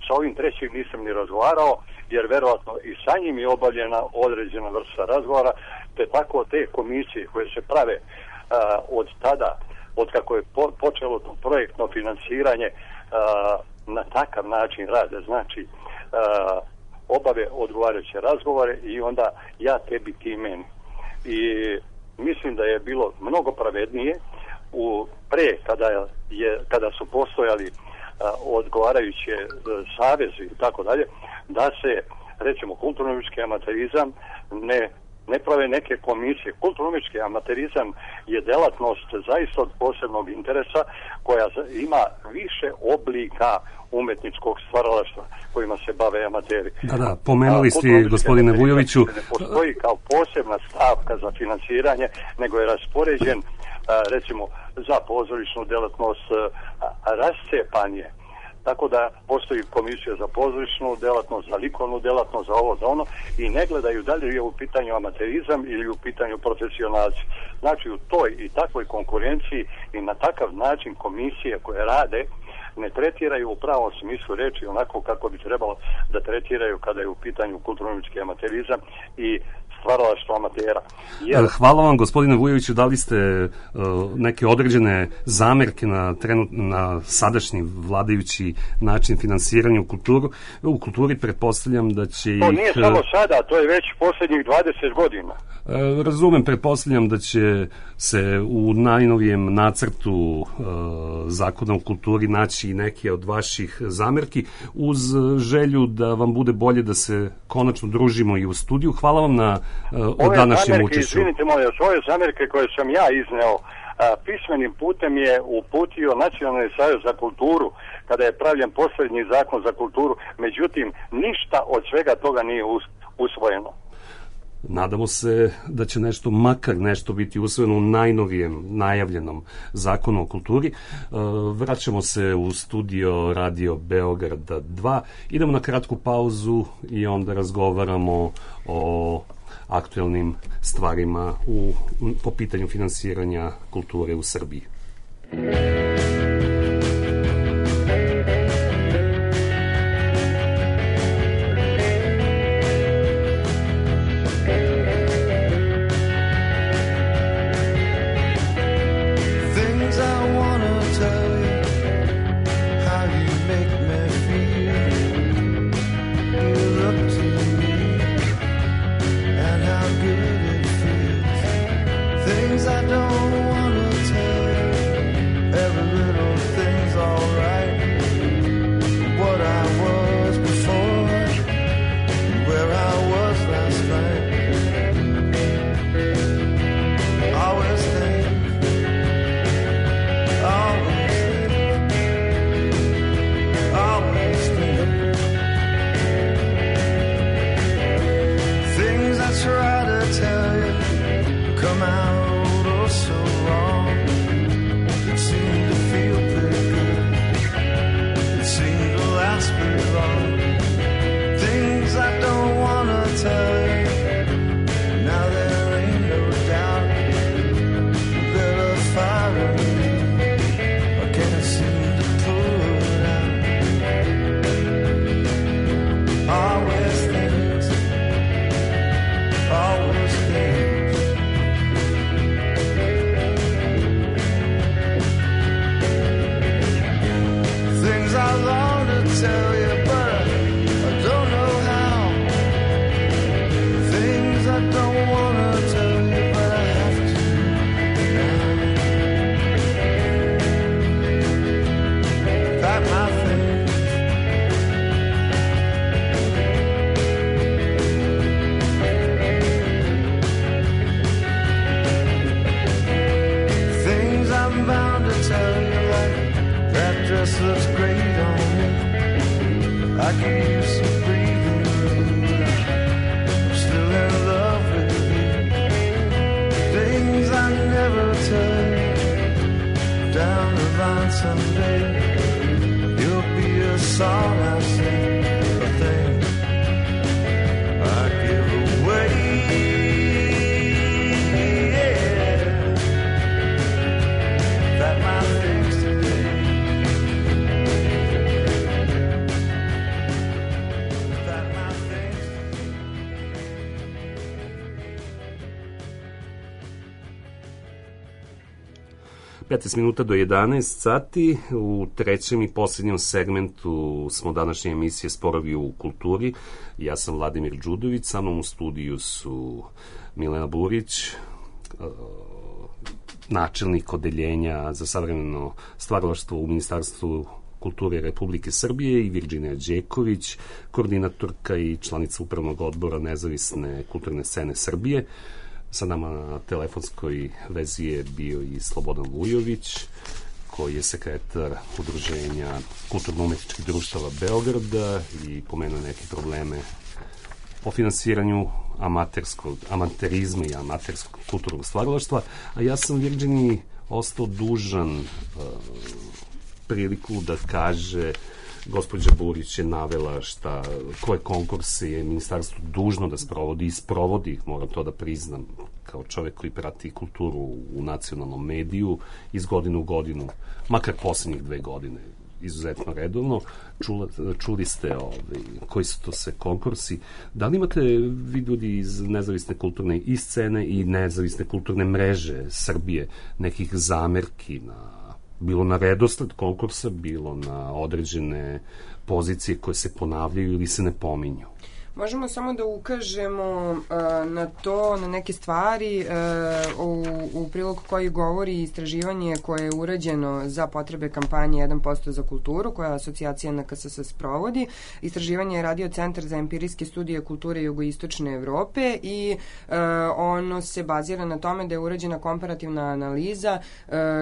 Sa ovim trećim nisam ni razgovarao, jer verovatno i sa njim je obavljena određena vrsta razgovora, te tako te komisije koje se prave od tada, od kako je počelo to projektno finansiranje, na takav način rade, znači obave odgovarajuće razgovore i onda ja tebi, ti meni. I mislim da je bilo mnogo pravednije kada su postojali odgovarajuće savezi i tako dalje, da se, recimo, kulturno-umjetnički amaterizam ne prave neke komisije. Kulturno-umjetnički amaterizam je delatnost zaista od posebnog interesa koja ima više oblika umetničkog stvaralaštva kojima se bave amateri. Da, pomenuli ste, gospodine Vujoviću. Ne postoji kao posebna stavka za finansiranje, nego je raspoređen, recimo, za pozorišnu delatnost rascepan je. Tako da postoji komisija za pozorišnu delatnost, za likovnu delatnost, za ovo, za ono, i ne gledaju da li je u pitanju amaterizam ili u pitanju profesionalci. Znači u toj i takvoj konkurenciji i na takav način komisije koje rade ne tretiraju u pravom smislu reči onako kako bi trebalo da tretiraju kada je u pitanju kulturno-umjetnički amaterizam i stvaralaštvo amatera. Hvala vam, gospodine Vujoviću, dali ste neke određene zamerke na sadašnji vladajući način finansiranja u kulturi. Pretpostavljam da će to nije samo sada, to je već posljednjih 20 godina. Razumem, pretpostavljam da će se u najnovijem nacrtu zakona o kulturi naći i neke od vaših zamerki, uz želju da vam bude bolje da se konačno družimo i u studiju. Hvala vam na današnjem učešću. Izvinite moje, ove zamerke koje sam ja izneo pismenim putem je uputio Nacionalni savez za kulturu kada je pravljen posljednji zakon za kulturu, međutim ništa od svega toga nije usvojeno. Nadamo se da će makar nešto biti usvojeno u najnovijem najavljenom zakonu o kulturi. Vraćamo se u studio Radio Beograda 2. Idemo na kratku pauzu i onda razgovaramo o aktuelnim stvarima po pitanju finansiranja kulture u Srbiji. Minuta do 11 sati. U trećem i posljednjem segmentu smo današnje emisije Sporovi u kulturi. Ja sam Vladimir Đudović, sa mnom u studiju su Milena Burić, načelnik odeljenja za savremeno stvaralaštvo u Ministarstvu kulture Republike Srbije, i Virđinija Đeković, koordinatorka i članica upravnog odbora Nezavisne kulturne scene Srbije. Sa nama na telefonskoj vezi je bio i Slobodan Vujović, koji je sekretar Udruženja kulturno-umetničkih društava Beograda i pomenuo neke probleme o finansiranju amaterizma i amaterskog kulturnog stvaralaštva, a ja sam Virđini ostao dužan priliku da kaže gospođa Burić je navela koje konkurse je ministarstvo dužno da sprovodi i sprovodi ih, moram to da priznam, kao čovek koji prati kulturu u nacionalnom mediju iz godine u godinu, makar poslednjih 2 godine, izuzetno redovno. Čuli ste koji su to sve konkursi. Da li imate vi ljudi iz nezavisne kulturne i scene i nezavisne kulturne mreže Srbije nekih zamerki bilo na redosled konkursa, bilo na određene pozicije koje se ponavljaju ili se ne pominju? Možemo samo da ukažemo na to, na neke stvari u prilog koji govori istraživanje koje je urađeno za potrebe kampanje 1% za kulturu, koja asocijacija NKSS sprovodi. Istraživanje je radio Centar za empirijske studije kulture jugoistočne Evrope i ono se bazira na tome da je urađena komparativna analiza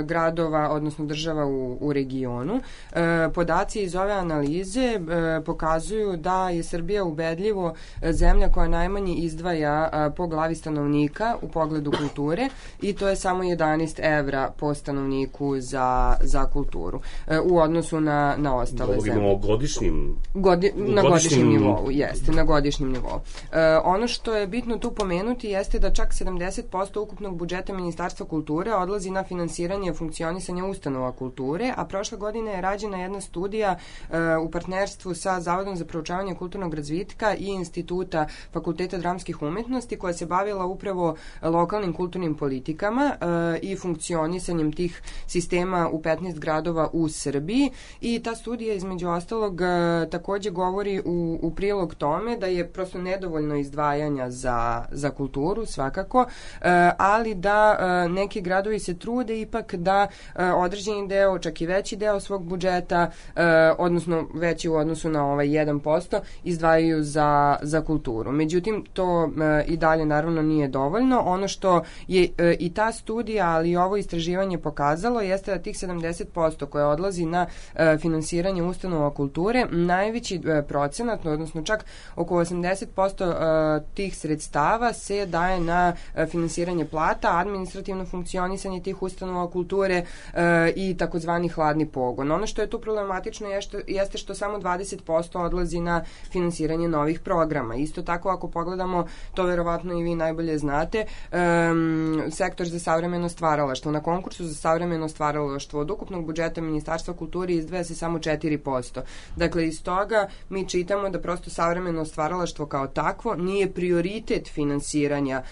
gradova, odnosno država u regionu. Podaci iz ove analize pokazuju da je Srbija ubedljivo zemlja koja najmanje izdvaja po glavi stanovnika u pogledu kulture i to je samo 11 evra po stanovniku za kulturu u odnosu na ostale zemlje. Govorimo o godišnjim... Na godišnjem nivou, jeste, na godišnjem nivou. Ono što je bitno tu pomenuti jeste da čak 70% ukupnog budžeta Ministarstva kulture odlazi na finansiranje funkcionisanja ustanova kulture, a prošle godine je rađena jedna studija u partnerstvu sa Zavodom za proučavanje kulturnog razvitka i Instituta Fakulteta dramskih umetnosti koja se bavila upravo lokalnim kulturnim politikama i funkcionisanjem tih sistema u 15 gradova u Srbiji i ta studija između ostalog takođe govori u prilog tome da je prosto nedovoljno izdvajanja za kulturu svakako, ali da neki gradovi se trude ipak da određeni deo, čak i veći deo svog budžeta, odnosno veći u odnosu na ovaj 1%, izdvajaju za kulturu. Međutim, to i dalje naravno nije dovoljno. Ono što je i ta studija, ali i ovo istraživanje pokazalo jeste da tih 70% koje odlazi na finansiranje ustanova kulture, najveći procenat, odnosno čak oko 80% tih sredstava se daje na finansiranje plata, administrativno funkcionisanje tih ustanova kulture i takozvani hladni pogon. Ono što je tu problematično jeste što samo 20% odlazi na finansiranje novih programa. Isto tako, ako pogledamo, to verovatno i vi najbolje znate, sektor za savremeno stvaralaštvo. Na konkursu za savremeno stvaralaštvo od ukupnog budžeta Ministarstva kulture izdvaja se samo 4%. Dakle, iz toga mi čitamo da prosto savremeno stvaralaštvo kao takvo nije prioritet finansiranja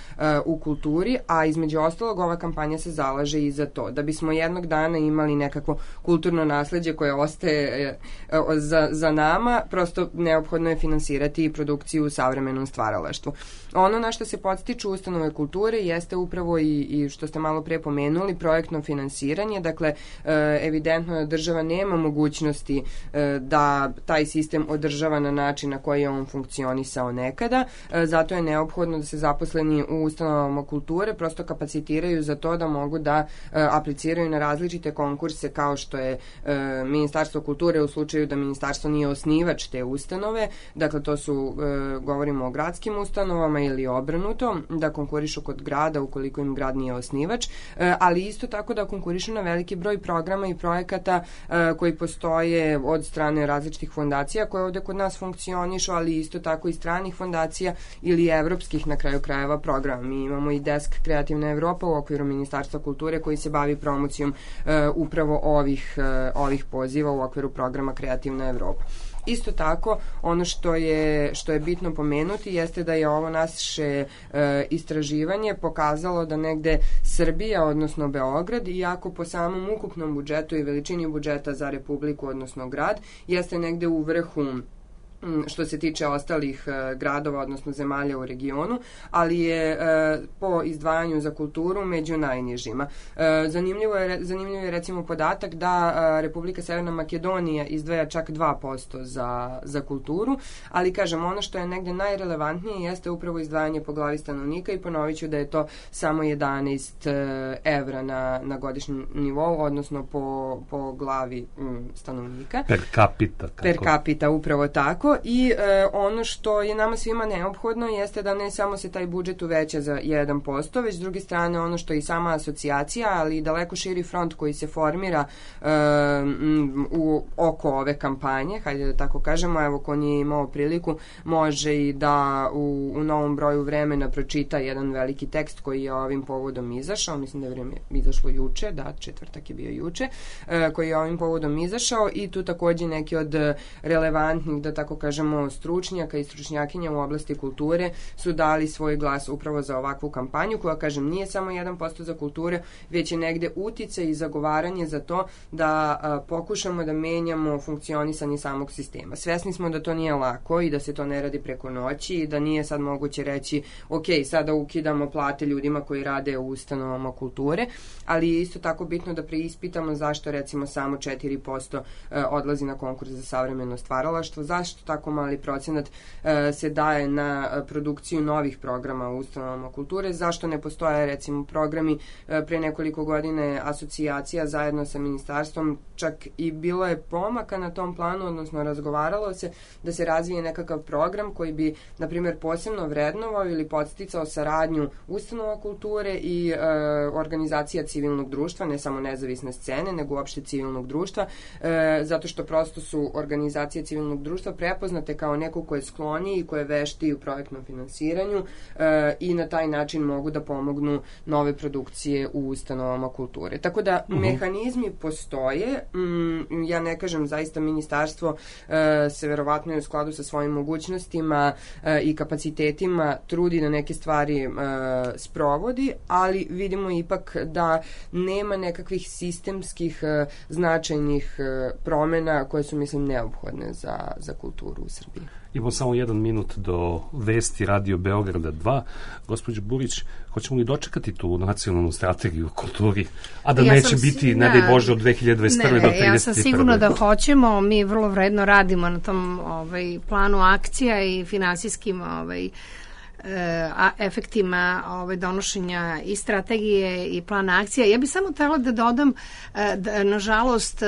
u kulturi, a između ostalog ova kampanja se zalaže i za to. Da bismo jednog dana imali nekakvo kulturno nasleđe koje ostaje za nama, prosto neophodno je finansirati i produkciju u savremenom stvaralaštvu. Ono na što se podstiču ustanove kulture jeste upravo i što ste malo pre pomenuli, projektno finansiranje. Dakle, evidentno da država nema mogućnosti da taj sistem održava na način na koji je on funkcionisao nekada. Zato je neophodno da se zaposleni u ustanovama kulture prosto kapacitiraju za to da mogu da apliciraju na različite konkurse kao što je Ministarstvo kulture u slučaju da ministarstvo nije osnivač te ustanove. Dakle, to su, govorimo o gradskim ustanovama ili obrnuto, da konkurišu kod grada ukoliko im grad nije osnivač, ali isto tako da konkurišu na veliki broj programa i projekata koji postoje od strane različitih fondacija koje ovde kod nas funkcionišu, ali isto tako i stranih fondacija ili evropskih na kraju krajeva programa. Mi imamo i Desk Kreativna Evropa u okviru Ministarstva kulture koji se bavi promocijom upravo ovih poziva u okviru programa Kreativna Evropa. Isto tako, ono što je bitno pomenuti jeste da je ovo naše istraživanje pokazalo da negde Srbija, odnosno Beograd, iako po samom ukupnom budžetu i veličini budžeta za Republiku, odnosno grad, jeste negde u vrhu što se tiče ostalih gradova, odnosno zemalja u regionu, ali je po izdvajanju za kulturu među najnižima. Zanimljiv je recimo podatak da Republika Severna Makedonija izdvaja čak 2% za kulturu, ali kažem, ono što je negde najrelevantnije jeste upravo izdvajanje po glavi stanovnika i ponovit ću da je to samo 11 evra na godišnjem nivou, odnosno po glavi stanovnika. Per capita. Per capita, upravo tako. tako i ono što je nama svima neophodno jeste da ne samo se taj budžet uveća za 1%, već s druge strane ono što i sama asocijacija, ali i daleko širi front koji se formira oko ove kampanje, hajde da tako kažemo, evo ko nije imao priliku, može i da u novom broju Vremena pročita jedan veliki tekst koji je ovim povodom izašao, mislim da je Vreme izašlo juče, da, četvrtak je bio juče, koji je ovim povodom izašao i tu takođe neki od relevantnih, da tako kažemo, stručnjaka i stručnjakinja u oblasti kulture su dali svoj glas upravo za ovakvu kampanju koja, kažem, nije samo 1% za kulture, već je negde uticaj i zagovaranje za to da pokušamo da menjamo funkcionisanje samog sistema. Svesni smo da to nije lako i da se to ne radi preko noći i da nije sad moguće reći ok, sada ukidamo plate ljudima koji rade u ustanovama kulture, ali je isto tako bitno da preispitamo zašto recimo samo 4% odlazi na konkurs za savremeno stvaralaštvo, zašto tako mali procenat se daje na produkciju novih programa u ustanovama kulture, zašto ne postoje recimo programi. Pre nekoliko godine asocijacija zajedno sa ministarstvom, čak i bilo je pomaka na tom planu, odnosno razgovaralo se da se razvije nekakav program koji bi, na primjer, posebno vrednovao ili podsticao saradnju ustanova kulture i organizacija civilnog društva, ne samo nezavisne scene, nego uopšte civilnog društva, zato što prosto su organizacije civilnog društva prepoznate kao neko ko je skloniji i ko je veštiji u projektnom finansiranju i na taj način mogu da pomognu nove produkcije u ustanovama kulture. Tako da mehanizmi postoje. Ja ne kažem, zaista ministarstvo se verovatno u skladu sa svojim mogućnostima i kapacitetima trudi da neke stvari sprovodi, ali vidimo ipak da nema nekakvih sistemskih značajnih promena koje su, mislim, neophodne za kulturu u Srbiji. Imamo samo 1 minut do vesti Radio Beograda 2. Gospođo Burić, hoćemo li dočekati tu nacionalnu strategiju u kulturi, a da neće biti, ne daj Bože, od 2021. do 2031. Ja sam sigurno da hoćemo. Mi vrlo vredno radimo na tom planu akcija i finansijskim efektima donošenja i strategije i plana akcija. Ja bih samo htela da dodam da, nažalost,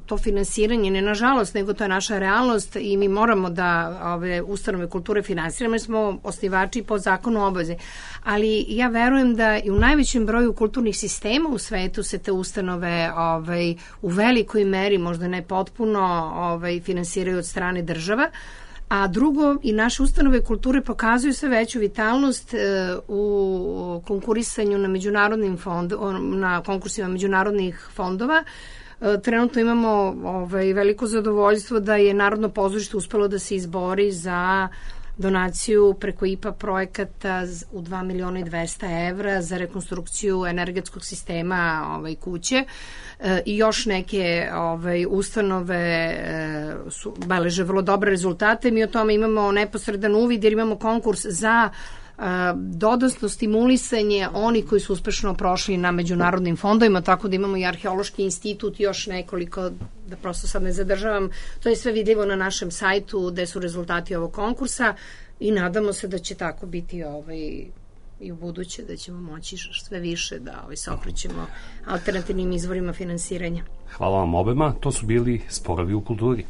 to finansiranje, ne nažalost, nego to je naša realnost i mi moramo da ove ustanove kulture finansiramo, jer smo osnivači po zakonu obaveze. Ali ja verujem da i u najvećem broju kulturnih sistema u svetu se te ustanove u velikoj meri, možda ne potpuno, finansiraju od strane država. A drugo, i naše ustanove kulture pokazuju sve veću vitalnost u konkurisanju na međunarodnim na konkursima međunarodnih fondova. Trenutno imamo veliko zadovoljstvo da je Narodno pozorište uspelo da se izbori za donaciju preko IPA projekata u 2.200.000 evra za rekonstrukciju energetskog sistema kuće i još neke ustanove beleže vrlo dobre rezultate. Mi o tome imamo neposredan uvid jer imamo konkurs za dodatno stimulisanje oni koji su uspešno prošli na međunarodnim fondovima, tako da imamo i Arheološki institut i još nekoliko, da prosto sad ne zadržavam. To je sve vidljivo na našem sajtu gde su rezultati ovog konkursa i nadamo se da će tako biti i u buduće, da ćemo moći sve više da se okrećemo alternativnim izvorima finansiranja. Hvala vam obema, to su bili Sporovi u kulturi.